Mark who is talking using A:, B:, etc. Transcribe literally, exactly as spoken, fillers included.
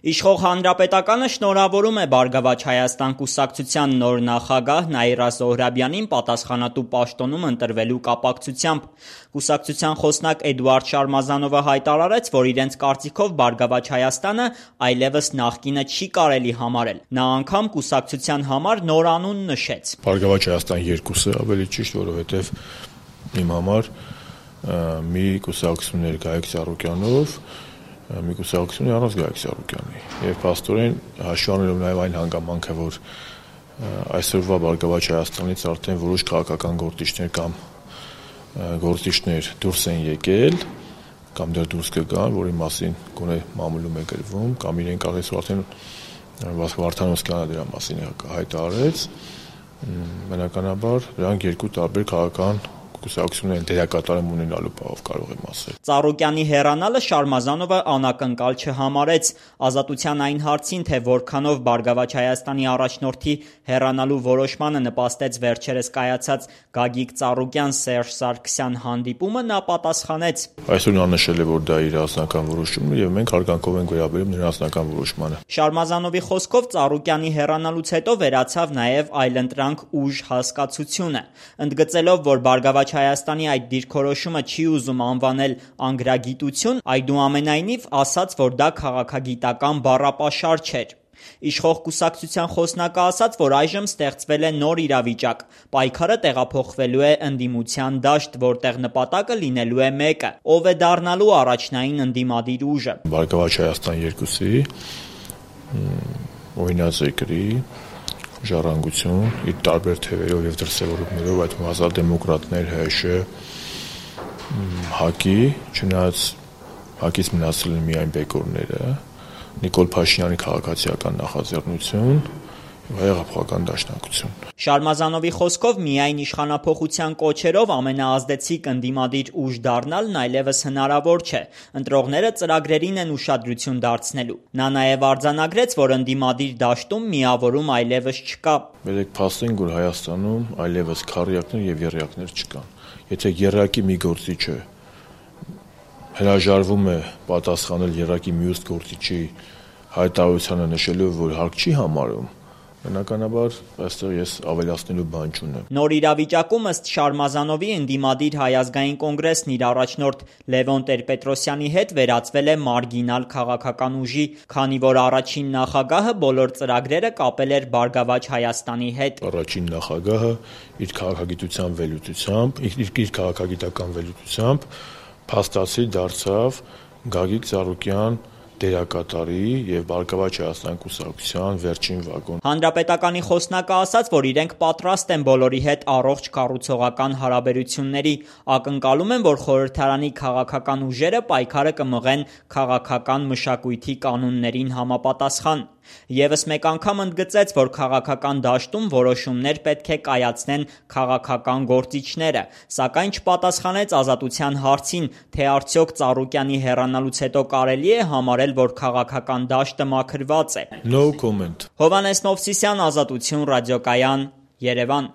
A: Իշխող Հանրապետականը շնորհավորում է «Բարգավաճ Հայաստան» կուսակցության նոր նախագահ Նաիրա Զոհրաբյանին պատասխանատու պաշտոնում ընտրվելու կապակցությամբ։ Կուսակցության խոսնակ Էդուարդ Շարմազանովը հայտարարեց, որ իրենց կարծիքով «Բարգավաճ Հայաստանը» այլևս նախկինը չի կարելի համարել։ Նա անգամ կուսակցության համար նոր անուն նշեց։
B: «Բարգավաճ Հայաստան երկուսը ավելի ճիշտ, որովհետև իմ համար մի կուսակցություն էր Գայիկ Ծառուկյանով, մի կուսակցություն առանց Գայիկ Ծառուկյանի, եւ փաստորեն հաշվի առնելով նաեւ այն հանգամանքը, որ այսօրվա Բարգավաճ Հայաստանից արդեն որոշ քաղաքական գործիչներ կամ գործիչներ դուրս են եկել կամ դեռ դուրս կգան, որի մասին գոնե մամուլում է գրվում, կամ իրենք կարծես արդեն Վարդանոսյանը դրա մասին հայտարարեց, բնականաբար դրանք երկու տարբեր քաղաքական կուսակցություններ դերակատարում ունենալու բաղով կարող եմ ասել։
A: Ծառուկյանի հեռանալը Շարմազանովը անակնկալ չհամարեց։ Ազատության այն հարցին, թե որքանով Բարգավաճ Հայաստանի առաջնորդի հեռանալու որոշմանը նպաստեց վերջերս կայացած Գագիկ Ծառուկյան-Սերժ Սարգսյան հանդիպումը, նա պատասխանեց.
B: Այսօր նա նշել է, որ դա իր անձնական որոշումն է, եւ մենք հարգանքով ենք վերաբերում նրա անձնական որոշմանը։
A: Շարմազանովի խոսքով Ծառուկյանի հեռանալուց հետո վերացավ նաեւ այլընտրանք ուժ հասկացությունը, ընդգծելով, որ Բարգավաճ Հայաստանի այդ դիրքորոշումը չի ուզում անվանել անգրագիտություն, այդուամենայնիվ ասաց, որ դա քաղաքագիտական բառապաշար չէր։ Իշխող կուսակցության խոսնակը ասաց, որ այժմ ստեղծվել է նոր իրավիճակ, պայքարը տեղափոխվելու է ընդդիմության դաշտ, որտեղ նպատակը լինելու է մեկը՝ ով է դառնալու առաջնային ընդդիմադիր ուժը։
B: Բարգավաճ Հայաստան երկուսի օրինաձեգրի ժառանգություն իր տարբեր թևերով եւ դրսեւորումներով, այդ ազատ-դեմոկրատներ, ՀՀՇ, ՀԱԿ-ի, չնայած ՀԱԿ-ից մնացել են միայն բեկորները, Նիկոլ Փաշինյանի քաղաքացիական նախաձեռնություն, Հայ-Հեղափոխական դաշնակցություն։
A: Շարմազանովի խոսքով միայն իշխանափոխության կոչերով ամենաազդեցիկ ընդդիմադիր ուժ դառնալն այլևս հնարավոր չէ։ Ընտրողները ծրագրերին են ուշադրություն դարձնելու։ Նա նաև արձանագրեց, որ ընդդիմադիր դաշտում միավորում այլևս չկա։
B: Բերեք փաստենք, որ Հայաստանում այլևս քառյակներ եւ եռյակներ չկան։ Եթե եռյակի մի գործիչը հրաժարվում է պատասխանել եռյակի մյուս գործիչի հայտարարությանը նշելով, որ հարկ չի համարում, բնականաբար այստեղ ես ավելացնելու բան չունեմ։
A: Նոր իրավիճակում ըստ Շարմազանովի ընդդիմադիր Հայ ազգային կոնգրեսն իր առաջնորդ Լևոն Տեր-Պետրոսյանի հետ վերածվել է մարգինալ քաղաքական ուժի, քանի որ առաջին նախագահը բոլոր ծրագրերը կապել էր Բարգավաճ Հայաստանի հետ։
B: Առաջին նախագահը իր քաղաքագիտության վերլուծությամբ, իր, իր քաղաքագիտական վերլուծությամբ փաստացի դարձավ Գագիկ Ծառուկյան դերակատարի եւ Բարգավաճ Հայաստան կուսակցության վերջին վագոն։
A: Հանրապետականի խոսնակը ասաց, որ իրենք պատրաստ են բոլորի հետ առողջ կառուցողական հարաբերությունների, ակնկալում են, որ խորհրդարանի քաղաքական ուժերը պայքարը կմղեն քաղաքական մշակույթի կանոններին համապատասխան։ Եվս մեկ անգամ ընդգծեց, որ քաղաքական դաշտում որոշումներ պետք է կայացնեն քաղաքական գործիչները, սակայն չպատասխանեց Ազատության հարցին, թե արդյոք Ծառուկյանի հեռանալուց հետո կարելի է համարել, որ քաղաքական դաշտը մաքրված է։
B: No comment։
A: Հովհաննես Մովսիսյան, Ազատություն, Ռադիոկայան, Երևան։